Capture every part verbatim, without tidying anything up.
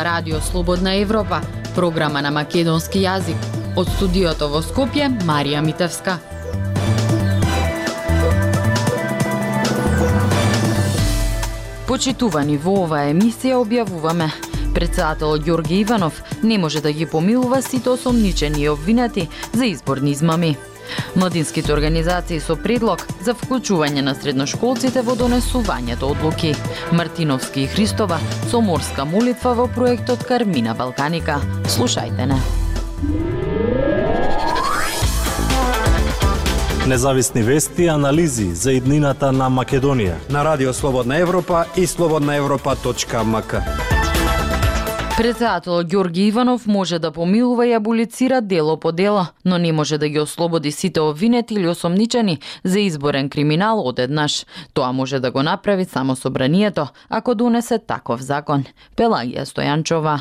Радио Слободна Европа, програма на македонски јазик. Од студиото во Скопје, Марија Митевска. Почитувани, во оваа емисија објавуваме: председателот Ѓорѓе Иванов не може да ги помилува сите осомничени и обвинети за изборни измами. Младинските организации со предлог за вклучување на средношколците во донесувањето одлуки. Мартиновски и Христова со морска молитва во проектот Кармина Балканика. Слушајте не. Независни вести и анализи за иднината на Македонија на Радио Слободна Европа и слободна европа точка ем ка. Председателот Ѓорѓе Иванов може да помилува и аболицира дело по дело, но не може да ги ослободи сите обвинети или осомничени за изборен криминал одеднаш. Тоа може да го направи само собранието, ако донесе таков закон. Пелагија Стојанчова.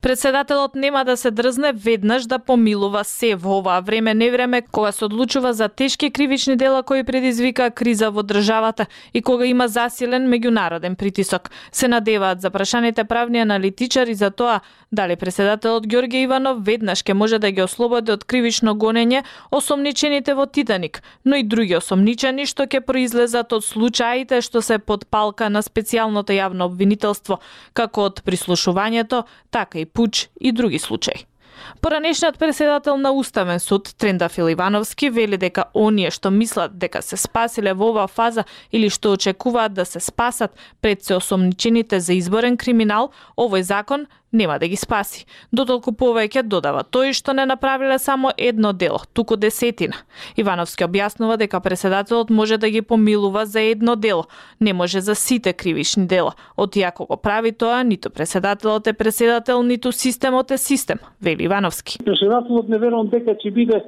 Председателот нема да се дрзне веднаш да помилува се во оваа време невреме кога се одлучува за тешки кривични дела кои предизвика криза во државата и кога има засилен меѓународен притисок. Се надеваат запрашаните правни аналитичари за тоа дали председателот Ѓорѓе Иванов веднаш ќе може да ги ослободи од кривично гонење осомничените во Титаник, но и други осомничени што ќе произлезат од случаите што се под палка на специјалното јавно обвинителство, како од прислушувањето, така и пуч и други случаи. Поранешниот председател на Уставен суд Трендафил Ивановски вели дека оние што мислат дека се спасиле во оваа фаза или што очекуваат да се спасат пред се осомничените за изборен криминал, овој закон нема да ги спаси. Дотолку повеќе додава тој што не направиле само едно дело, туку десетина. Ивановски објаснува дека председателот може да ги помилува за едно дело, не може за сите кривични дела. Оти ако го прави тоа, ниту председателот е председател, ниту системот е систем, вели Ивановски. Председателот не верувам дека ќе биде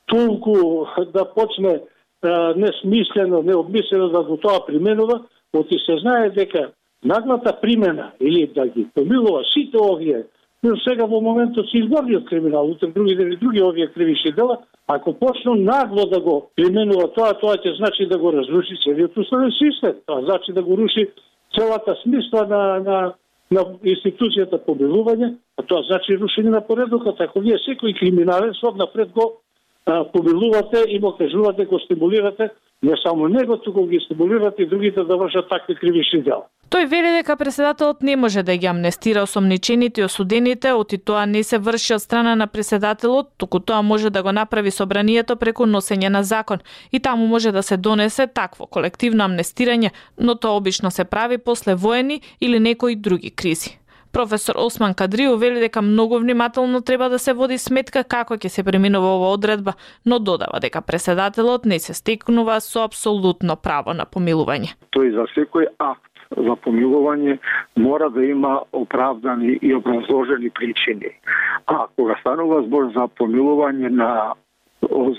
толку да почне а, несмислено, необмислено да го тоа применува, оти се знае дека наглата примена или да ги помилува сите овие, но сега во моментот се изборниот криминал, утре други дели други овие кривични дела, ако почну нагло да го применува тоа, тоа ќе значи да го разруши целиот уставен систем. Тоа значи да го руши целата смисла на, на, на институцијата помилување, а тоа значи рушење на поредокот. Ако вие секој криминален сод напред го а, помилувате и му кажувате, го стимулирате, не само него, туку ги стимулирате и другите да вршат такви кривични дела. Тој вели дека председателот не може да ги амнестира осомничените и осудените, оти тоа не се врши од страна на председателот, туку тоа може да го направи собранието преку носење на закон и таму може да се донесе такво колективно амнестирање, но тоа обично се прави после воени или некои други кризи. Професор Осман Кадрио вели дека многу внимателно треба да се води сметка како ќе се преминува оваа одредба, но додава дека председателот не се стекнува со апсолутно право на помилување. Тој за секој акт за помилување мора да има оправдани и образложени причини. А кога станува збор за помилување на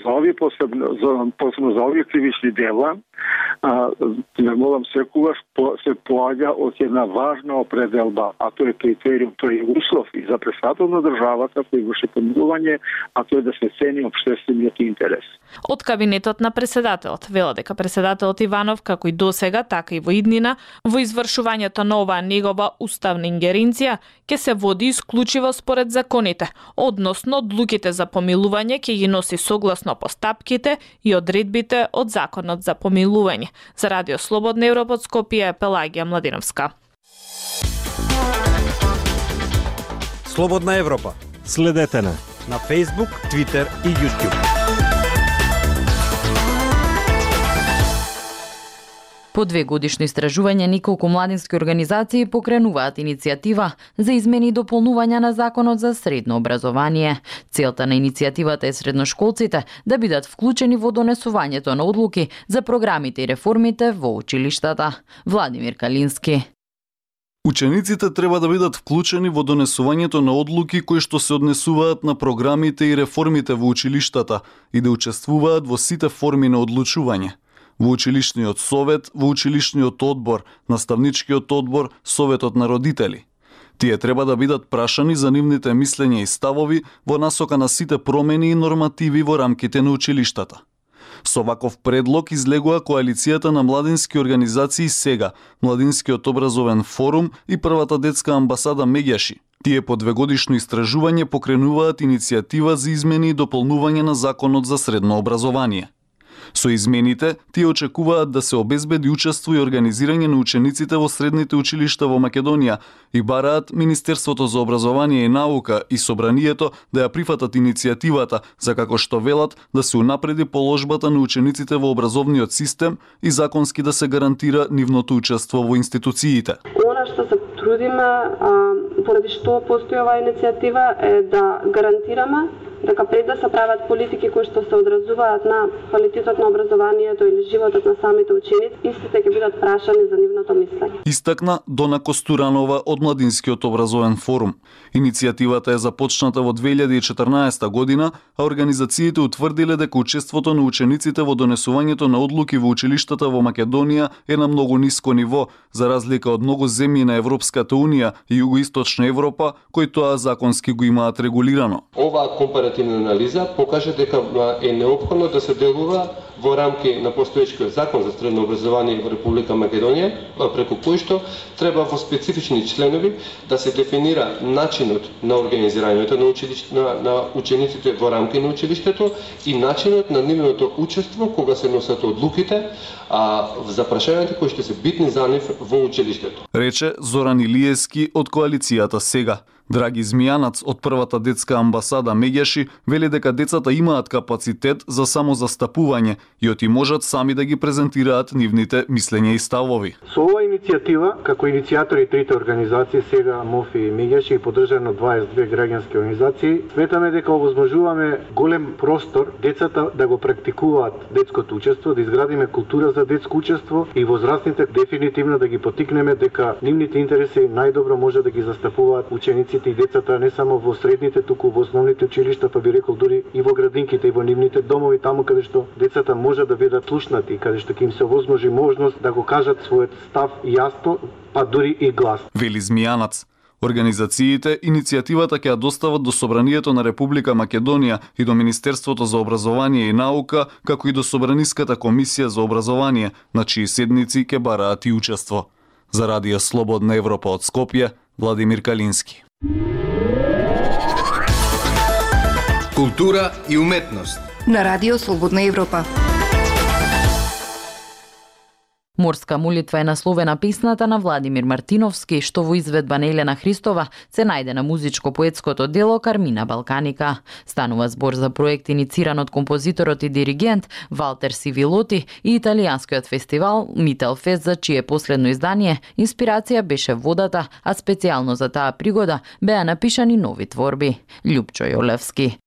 за овие посебно за посебно за овие кривични дела, а, не молам секогаш се поаѓа од една важна определба, а тоа е критериум, тоа е услов и за председател на државата кој врши помилување, а тоа е да се цени општествениот интерес. Од кабинетот на председателот вела дека председателот Иванов, како и досега, така и во иднина, во извршувањето на оваа негова уставна ингеренција ќе се води исклучиво според законите, односно одлуките за помилување ќе ги носи согласно постапките и одредбите од законот за помилување. За Радио Слободна Европа од Скопје, Пелагија Младиновска. Слободна Европа. Следете на на Facebook, Twitter и YouTube. По две годишно истражување, неколку младински организации покренуваат иницијатива за измени и дополнување на Законот за средно образование. Целта на иницијативата е средношколците да бидат вклучени во донесувањето на одлуки за програмите и реформите во училиштата. Владимир Калински. Учениците треба да бидат вклучени во донесувањето на одлуки кои што се однесуваат на програмите и реформите во училиштата и да учествуваат во сите форми на одлучување. Во училишниот совет, во училишниот одбор, наставничкиот одбор, советот на родители. Тие треба да бидат прашани за нивните мислења и ставови во насока на сите промени и нормативи во рамките на училиштата. Со ваков предлог излегува коалицијата на младински организации СЕГА, Младинскиот образовен форум и првата детска амбасада Меѓаши. Тие по двегодишно истражување покренуваат иницијатива за измени и дополнување на Законот за средно образование. Со измените, тие очекуваат да се обезбеди учество и организирање на учениците во средните училишта во Македонија и бараат Министерството за образование и наука и Собранието да ја прифатат иницијативата за како што велат да се унапреди положбата на учениците во образовниот систем и законски да се гарантира нивното учество во институциите. Она што се трудиме, поради што постои оваа иницијатива, е да гарантираме дека пред да се прават политики кои што се одразуваат на квалитетот на образованието или животот на самите ученици, истите ќе бидат прашани за нивното мислење. Истакна Дона Костуранова од Младинскиот образовен форум. Иницијативата е започната во две илјади и четрнаесета година, а организациите утврдиле дека учеството на учениците во донесувањето на одлуки во училиштата во Македонија е на многу ниско ниво, за разлика од многу земји на Европската унија и Југоисточна Европа, кои тоа законски го имаат регулирано. Оваа компаративна анализа покажа дека е неопходно да се делува во рамки на постоечкиот закон за средно образование во Република Македонија, преку кој што треба во специфични членови да се дефинира начинот на организирањето на, училиште, на, на учениците во рамки на училиштето и начинот на нивното учество кога се носат одлуките а, за прашањата кои што се битни за нив во училиштето. Рече Зоран Илиевски од коалицијата СЕГА. Драги Змијанац од првата детска амбасада Меѓаши вели дека децата имаат капацитет за самозастапување и оти можат сами да ги презентираат нивните мислења и ставови. Со оваа иницијатива, како иницијатори трите организации СЕГА, МОФИ и Меѓаши и поддржано дваесет и две граѓански организации, сметаме дека овозможуваме голем простор децата да го практикуваат детското учество, да изградиме култура за детско учество и возрастните дефинитивно да ги потикнеме дека нивните интереси најдобро може да ги застапуваат ученици и децата не само во средните, туку во основните училишта, па би рекол дури и во градинките и во нивните домови, таму каде што децата може да бидат слушнати, каде што ќе им се овозможи можност да го кажат својот став јасно, па дури и гласно. Вели Змијанац. Организациите иницијативата ќе ја достават до Собранието на Република Македонија и до Министерството за образование и наука, како и до Собраниската комисија за образование, на чии седници ќе бараат и учество. За Радио Слободна Европа од Скопје, Владимир Калински. Култура и уметност на Радио Слободна Европа. Морска молитва е насловена песната на Владимир Мартиновски, што во изведба на Елена Христова се најде на музичко-поетското дело Кармина Балканика. Станува збор за проект инициран од композиторот и диригент Валтер Сивилоти и италијанскиот фестивал Мителфест, за чие последно издание инспирација беше водата, а специјално за таа пригода беа напишани нови творби. Љупчо Јолевски.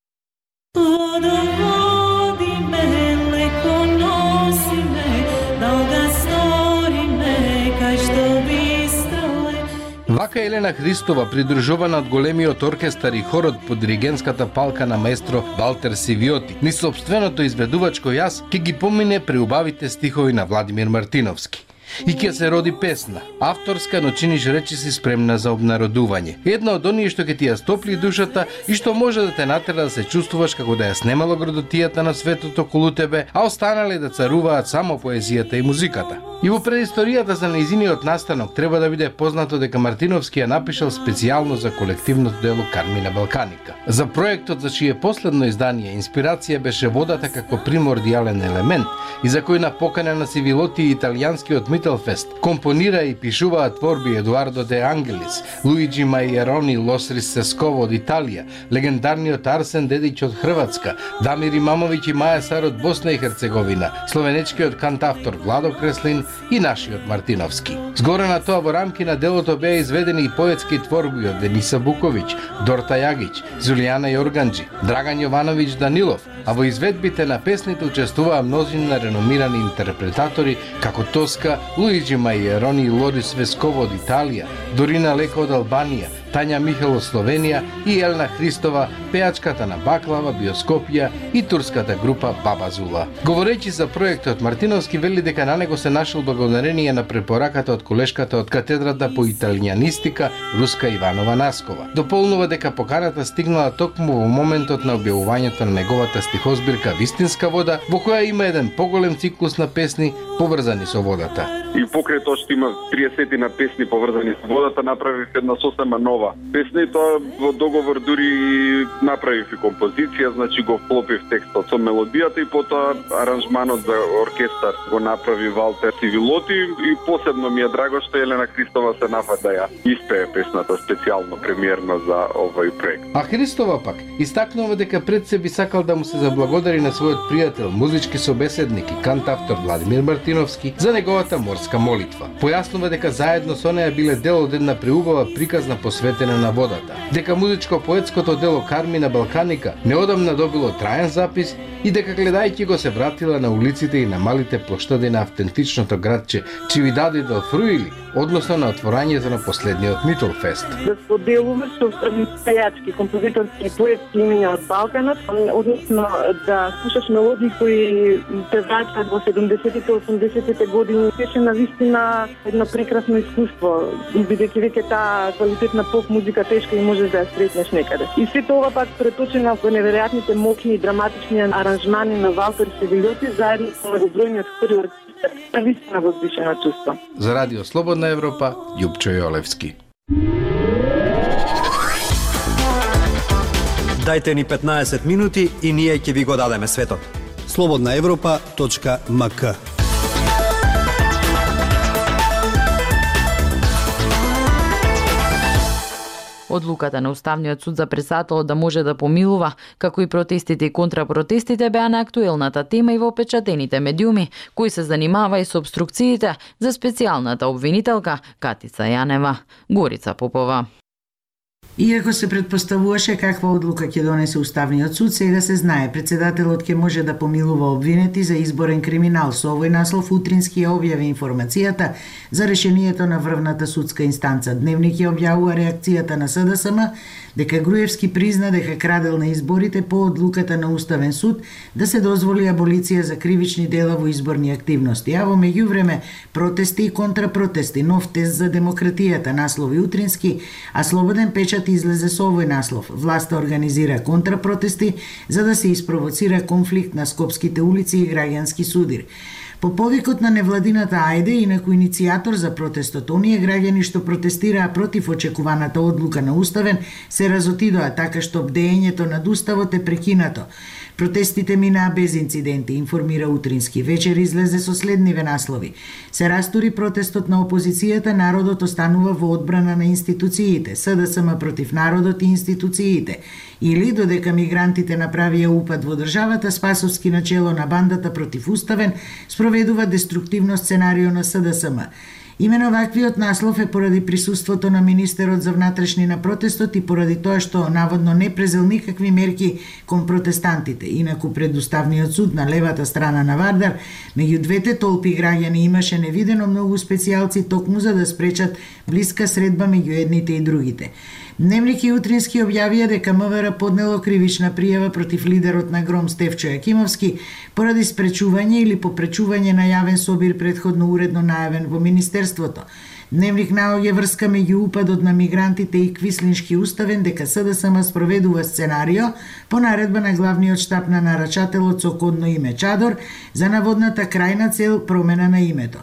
Вака Елена Христова, придружувана од големиот оркестар и хорот под диригентската палка на маестро Валтер Сивиоти, ни собственото изведувачко јас ќе ги помине преубавите стихови на Владимир Мартиновски. И ќе се роди песна, авторска, но чиниш речиси спремна за обнародување. Една од оние што ќе ти ја стопли душата и што може да те натера да се чувствуваш како да ја снемало градотијата на светот околу тебе, а останале да царуваат само поезијата и музиката. И во предисторијата за нејзиниот настанок треба да биде познато дека Мартиновски ја напишал специјално за колективното дело Кармина Балканика. За проектот за чие последно издание инспирација беше водата како примордијален елемент и за кој на покана на Сивилоти и италијанскиот Мителфест компонира и пишуваа творби Едуардо де Ангелис, Луиджи Мајерони, Лосрис Сесково од Италија, легендарниот Арсен Дедиќ од Хрватска, Дамир Имамовиќ и Маја Сар од Босна и Херцеговина, словенечкиот кантавтор Владо Креслин и нашиот Мартиновски. Згоре на тоа во рамки на делото беа изведени и поетски творби од Дениса Буковиќ, Дорта Јагиќ, Зулијана Јорганџи, Драган Јовановиќ Данилов, а во изведбите на песните учествуваа мнозина реномирани интерпретатори како Тоска, Луиджи Мајерони и Лорис Весково од Италија, Дорина Леко од Албанија, Тања Михел од Словенија и Елна Христова, пеачката на Баклава, Биоскопија и турската група Баба Зула. Говорејќи за проектот, Мартиновски вели дека на него се нашол благодарение на препораката од колешката од катедрата по италијанистика Руска Иванова Наскова. Дополнува дека поканата стигнала токму во моментот на објавувањето на неговата стихозбирка Вистинска вода, во која има еден поголем циклус на песни поврзани со водата. И покрај тоа што има триесет на песни поврзани со водата, направив една сосема нова песна и тоа во договор дури направив и композиција, значи го вклопив текстот со мелодијата и потоа аранжманот за оркестар го направи Валтер Сивилоти и посебно ми е драго што Елена Христова се нафаќа да ја испее песната специјално премиерно за овој проект. А Христова пак истакнува дека пред се би сакал да му се заблагодари на својот пријател, музички собеседник и кантавтор Владимир Мартиновски за неговата морска молитва. Појаснува дека заедно со неа биле дел од една преубава приказна посветена на водата. Дека музичко-поетското дело Кармина Балканика неодамна добило траен запис и дека гледајќи го се вратила на улиците и на малите плоштади на автентичното градче Чивидади дел Фруили, односно на отворањето на последниот Митол Фест. Да споделуваш со пејачки, композиторски и поетски имиња од Балканот, односно да слушаш мелодии кои те враќаат во седумдесетите, осумдесетите години, беше навистина едно прекрасно искуство, бидејќи веќе таа квалитетна поп музика тешко и можеш да ја сретнеш некаде. И се тоа пак преточено во неверојатните мокни и драматични аранжмани на Валтер Севилјоти заедно со многобројниот хор и оркестар. Навистина возвишено чувство. За Радио Слободна Европа, Јупчо Јолевски. Дајте ни петнаесет минути и ние ќе ви го дадеме светот. слободна европа точка ем ка. Одлуката на Уставниот суд за претседателот да може да помилува, како и протестите и контрапротестите беа на актуелната тема и во печатените медиуми, кои се занимава и со обструкциите за специјалната обвинителка Катица Јанева. Горица Попова. Иако се предпоставуваше каква одлука ќе донесе Уставниот суд, сега се знае претседателот ќе може да помилува обвинети за изборен криминал. Со овој наслов утрински ја објави информацијата за решението на врвната судска инстанца. Дневник ја објавува реакцијата на С Д С М дека Груевски призна дека крадел на изборите по одлуката на Уставен суд да се дозволи аболиција за кривични дела во изборни активности. А во меѓувреме протести и контрапротести, нов тест за демократијата, наслови утрински, а Слободен печат излезе со овој наслов. Власта организира контрапротести за да се испровоцира конфликт на скопските улици и граѓански судир. По повикот на невладината Ајде, инаку иницијатор за протестот, оние граѓани што протестираа против очекуваната одлука на Уставен се разотидоа така што бдеењето над Уставот е прекинато. Протестите минаа без инциденти, информира Утрински. Вечер излезе со следниве наслови. Се растури протестот на опозицијата, народот останува во одбрана на институциите, С Д С М против народот и институциите. Или додека мигрантите направија упад во државата, Спасовски начело на бандата против Уставен спроведува деструктивно сценарио на С Д С М. Имено ваквиот наслов е поради присуството на министерот за внатрешни на протестот и поради тоа што наводно не презел никакви мерки кон протестантите. Инаку пред Уставниот суд на левата страна на Вардар, меѓу двете толпи граѓани имаше невидено многу специјалци токму за да спречат блиска средба меѓу едните и другите. Дневник и Утрински објавија дека М В Р поднело кривична пријава против лидерот на Гром Стефчо Јакимовски поради спречување или попречување на јавен собир предходно уредно најавен во Министерството. Дневник наоѓа врска меѓу упадот на мигрантите и Квислиншки Уставен дека С Д С М спроведува сценарио по наредба на главниот штаб на нарачателот со кодно име Чадор за наводната крајна цел промена на името.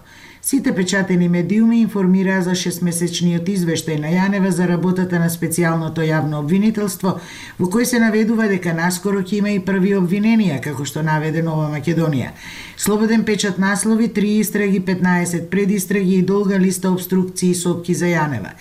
Сите печатени медиуми информираа за шестмесечниот извештај на Јанева за работата на специјалното јавно обвинителство, во кој се наведува дека наскоро ќе има и први обвиненија, како што наведе Нова Македонија. Слободен печат наслови, три истраги, петнаесет предистраги и долга листа обструкции и сопки за Јанева.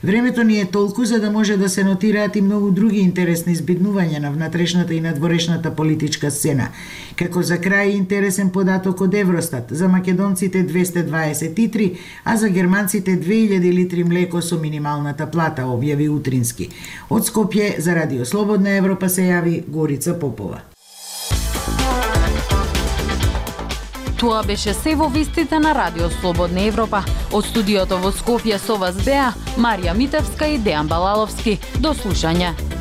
Времето ни е толку за да може да се нотираат и многу други интересни збиднувања на внатрешната и надворешната политичка сцена. Како за крај интересен податок од Евростат, за македонците двесте дваесет и три, а за германците две илјади литри млеко со минималната плата, објави Утрински. Од Скопје за Радио Слободна Европа се јави Горица Попова. Тоа беше се во вестите на Радио Слободна Европа. Од студиото во Скопје со вас беа Марија Митевска и Дејан Балаловски. До слушање.